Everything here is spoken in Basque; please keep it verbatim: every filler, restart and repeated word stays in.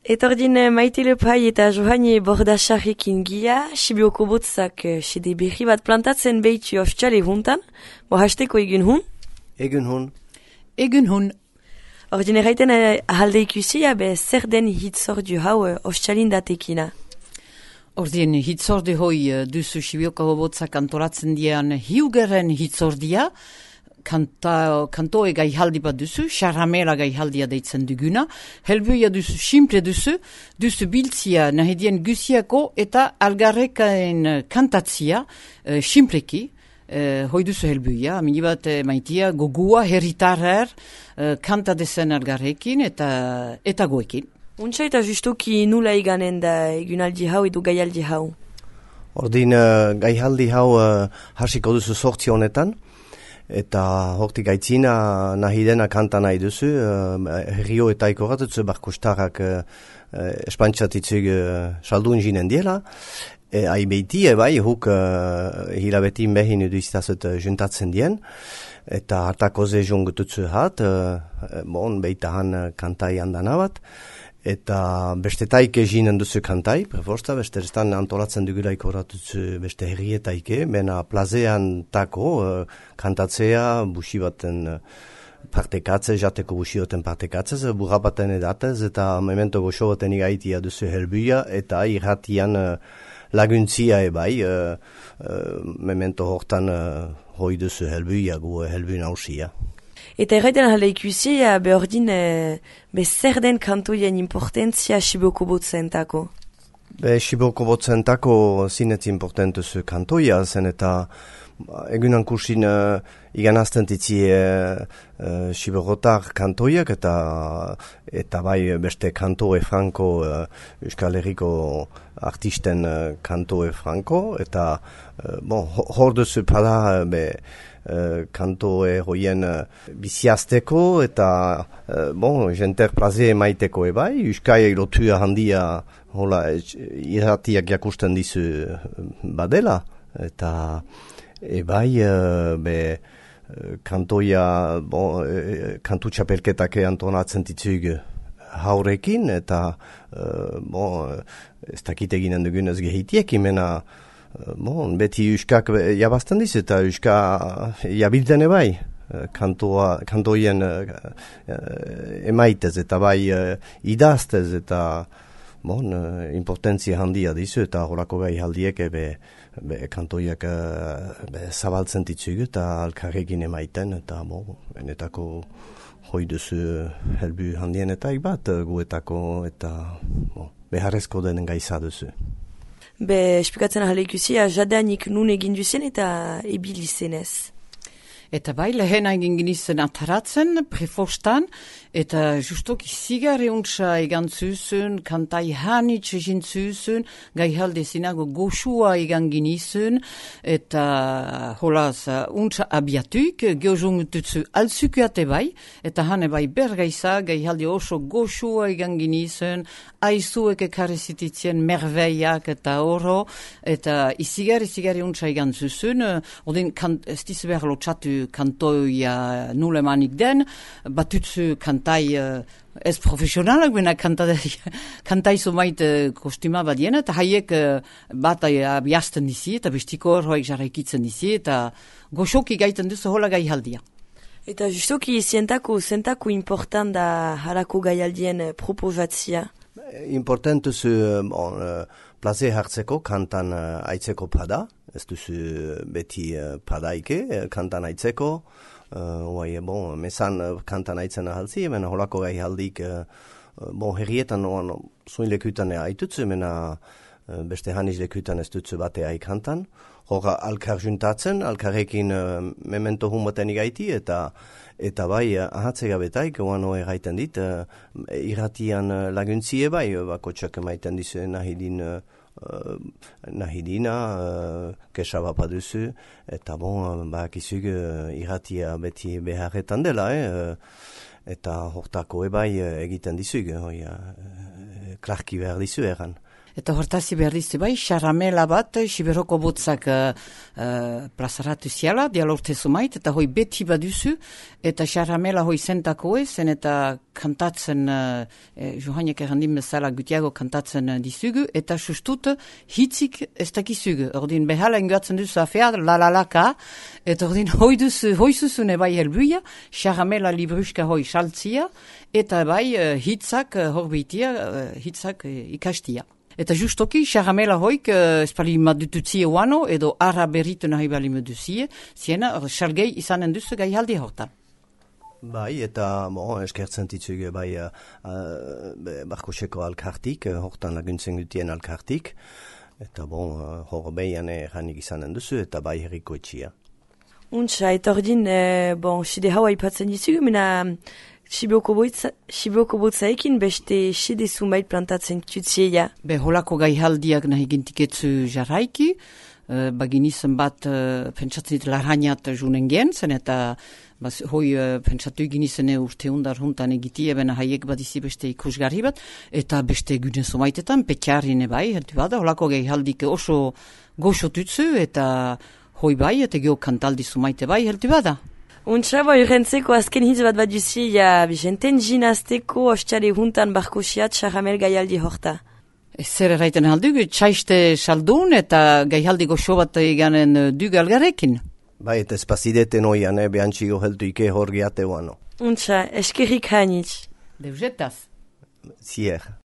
Etordin Maite Lepai eta Johane Bordasarrekin gia, Sibioko botzak sede berri bat plantatzen behitu oftxale huntan, bo hasteko egun hun? Egun hun. Egun hun. Ordin erraiten ahalde ikusia, be zer den hitzordu hau oftxalin datekina? Ordin hitzordu hoi duzu Sibioko botzak antolatzen dian hiugeren hitzordia, Kanta, kantoe gaihaldi bat duzu, xarramela gaihaldia deitzen duguna, helbuia duzu, simple duzu, duzu biltzia nahidien gusiako eta algarrekaen kantatzia, uh, simpleki, uh, hoi duzu helbuia, amini bat uh, maitia, gogua, herritarrer, uh, kanta dezen algarrekin eta, eta goekin. Untsa eta justuki nula iganen da egunaldi hau edo gaialdi hau? Ordin uh, gaihaldi hau uh, hasiko duzu sortzi honetan, eta hortik aitzina nahi dena kanta nahi duzu, uh, herrio eta ikoratutzu barkustarrak uh, uh, espantxatitzuk uh, saldun jinen diela. E, Aibeiti, bai, huk uh, hilabetin behin edu iztazut uh, juntatzen dien, eta hartako ze jungututzu hat, uh, bon, behitahan uh, kantai handan abat. Eta bestetaike jinen duzu kantai, preforsta, beste restan antolatzen dugulaik horatutzu beste herrietaike, bena plazean tako uh, kantatzea, busi baten uh, partekatze, jateko busi baten partekatze, burra baten edatez, eta memento goxo baten igaitia duzu helbuia, eta irratian uh, laguntzia ebai, uh, uh, memento hortan uh, hoi duzu helbuia, gu helbu nausia. Eta erraiten ahalde ikusia, behordin, e, be zer den kantoien importantzia Sibioko botzentako? Be Sibioko botzentako zinez importantuzu kantoia, zen eta egunan kursin uh, iganazten titzi uh, uh, Sibiokotar kantoiak eta, eta bai beste kantoe franko, uh, Euskal Herriko artisten uh, kantoe franko, eta uh, bon, hor duzu pada be Uh, kantoe hoien uh, biziazteko eta uh, bon, jenter plaze maiteko ebai, Euskai lotua handia hola irratiak jakusten dizu badela, eta ebai uh, be uh, kantoia bon, uh, kantu txapelketak antonatzen ditzug haurekin, eta uh, bon, ez dakit eginen dugun ez gehitiek imena. Bon, beti Euskak jabazten diz eta Euska jabilden ebai kantoa, kantoien uh, emaitez eta bai uh, idaztez eta bon, uh, importantzia handia dizu eta horako gai haldiek be, be kantoiak uh, be, zabaltzen ditzug eta alkarrekin emaiten eta bon, benetako hoi duzu helbu handienetak bat guetako eta bon, beharrezko denen gaiza duzu. Be, esplikatzen ahalde ikusia, jadanik nun egin duzen eta ebili zenez. Eta bai, lehen egin ginizen ataratzen, prefostan, eta justok izigare untsa egan zuzun, kantai hanitz egin zuzun, gai halde zinago goxua egan ginizen, eta holaz untsa abiatuik, geozungututzu altzukuate bai, eta hane bai bergaiza, gai halde oso goxua egan ginizen, aizuek ekarezititzen merveiak eta oro, eta izigare, izigare untsa egan zuzun, odin, ez dizu behar lotxatu kantoia nulemanik den, batutzu kantai uh, ez profesionalak, bena kantai, kantai zomait uh, kostima badien, eta haiek uh, bat abiazten dizi, eta bestiko horroek jarraikitzen dizi, eta goxoki gaiten duzu hola gai haldia. Eta justoki zientako, zentako important da harako gaialdien proposatzia? Important duzu bon, uh, plaze hartzeko kantan uh, aitzeko pada, ez duzu beti uh, padaike, uh, kantan aitzeko, uh, oai, bon, mesan uh, kantan aitzen ahalzi, mena holako gai haldik, uh, bon, herrietan oan zuin lekutan aitutzu, mena uh, beste haniz lekutan ez dutzu bate aikantan, hora alkar juntatzen, alkarrekin uh, memento humoten igaiti, eta eta bai ahatzega betaik, oan oa erraiten dit, uh, irratian uh, laguntzie bai, bako txak emaiten dizu nahidin uh, Uh, nahidina, uh, kesaba paduzu, eta bon, bak izug uh, irratia beti beharretan dela, eh? uh, eta hortako ebai uh, egiten dizug, uh, uh, klarki behar dizu eran. Eta hortazi behar dizte bai, xaramela bat, Siberoko botzak uh, uh, plazaratu ziala, dialorte zumait, eta hoi beti baduzu, eta xaramela hoi zentako ez, zen eta kantatzen, uh, eh, Johanek errandin bezala gutiago kantatzen uh, dizugu, eta sustut hitzik ez dakizugu. Ordin behala ingoatzen duzu afea, la la la ka, eta ordin hoi duzu, hoi zuzune bai helbuia, xaramela libruska hoi saltzia, eta bai uh, hitzak uh, horbeitia, uh, hitzak uh, ikastia. Eta justoki, xaramela hoik, uh, espali madututzie uano, edo ara berritu nahi bali meduzie, ziena, xalgei izanen duzu gai haldi hortan. Bai, eta bon, eskertzen ditzuge bai uh, uh, Barkoseko alkartik, uh, hortan laguntzen dutien alkartik, eta bon, uh, hor behian erranik izanen duzu, eta bai herriko etxia. Untsa, eta ordin, eh, bon, side haua ipatzen ditzugu, mina Sibioko botzaekin beste side zumait plantatzen tutziea. Be, holako gaihaldiak nahi gintiketzu jarraiki, uh, baginizen bat uh, pentsatzen dit larhainat junen gen, zen eta bas, hoi uh, pentsatu ginizen urte hundar huntan egitie, bena haiek bat izi beste ikusgarri bat, eta beste gune zumaitetan, petxarrine bai, heltu bada, holako gaihaldik oso goxo tutzu, eta hoi bai, eta geho kantaldi zumaite bai, heltu bada. Untsa, boi, rentzeko azken hitz bat bat duzi, ja, bizenten jinazteko ostxare huntan barkosiat xaramel gaialdi horta. Zer erraiten aldugu, txaiste saldun eta gaialdi goxo bat eganen du galgarekin. Bai, eta espazideten oian, eh, behantxiko heltu ike hor geate uano. Untsa, eskerrik hainitz. Deuzetaz. Zier.